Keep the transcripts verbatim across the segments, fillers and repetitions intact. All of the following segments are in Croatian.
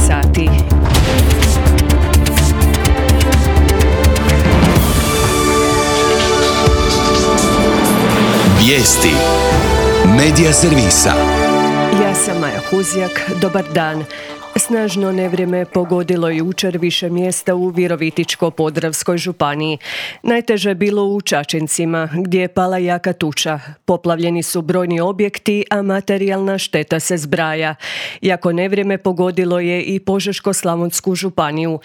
sati. Vijesti Medija servisa. Ja sam Maja Huzjak, dobar dan. Snažno nevrijeme pogodilo jučer više mjesta u Virovitičko-podravskoj županiji. Najteže je bilo u Čačincima, gdje je pala jaka tuča. Poplavljeni su brojni objekti, a materijalna šteta se zbraja. Jako nevrijeme pogodilo je i Požeško-slavonsku županiju.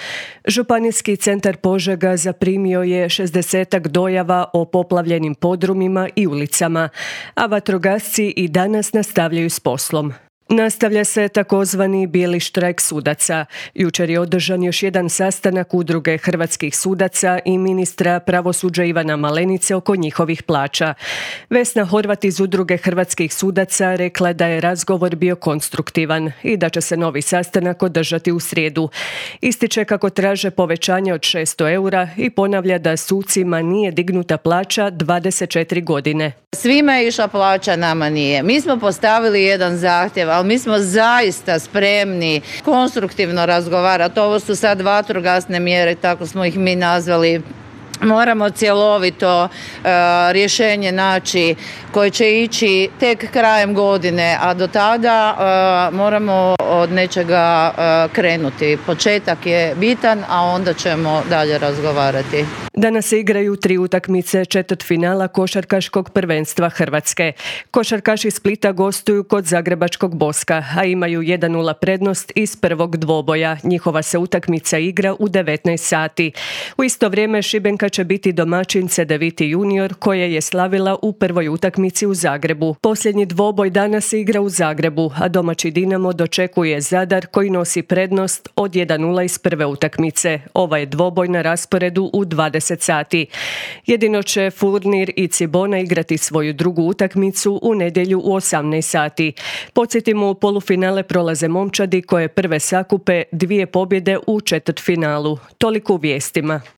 Županijski centar Požega zaprimio je šezdesetak dojava o poplavljenim podrumima i ulicama, a vatrogasci i danas nastavljaju s poslom. Nastavlja se takozvani bijeli štrajk sudaca. Jučer je održan još jedan sastanak Udruge hrvatskih sudaca i ministra pravosuđa Ivana Malenice oko njihovih plaća. Vesna Horvat iz Udruge hrvatskih sudaca rekla da je razgovor bio konstruktivan i da će se novi sastanak održati u srijedu. Ističe kako traže povećanje od šesto eura i ponavlja da sucima nije dignuta plaća dvadeset četiri godine. Svima je išla plaća, nama nije. Mi smo postavili jedan zahtjev, ali mi smo zaista spremni konstruktivno razgovarati. Ovo su sad vatrogasne mjere, tako smo ih mi nazvali. Moramo cjelovito uh, rješenje naći koje će ići tek krajem godine, a do tada uh, moramo od nečega uh, krenuti. Početak je bitan, a onda ćemo dalje razgovarati. Danas se igraju tri utakmice četvrtfinala košarkaškog prvenstva Hrvatske. Košarkaši iz Splita gostuju kod zagrebačkog Boska, a imaju jedan nula prednost iz prvog dvoboja. Njihova se utakmica igra u devetnaest sati. U isto vrijeme Šibenka će biti domaćin Cedeviti junior, koje je slavila u prvoj utakmici u Zagrebu. Posljednji dvoboj danas se igra u Zagrebu, a domaći Dinamo dočekuje Zadar koji nosi prednost od jedan nula iz prve utakmice. Ovaj je dvoboj na rasporedu u dvadeset sati. Jedino će Furnir i Cibona igrati svoju drugu utakmicu u nedjelju u osamnaest sati. Podsjetimo, u polufinale prolaze momčadi koje prve sakupe dvije pobjede u četvrtfinalu. Toliko u vijestima.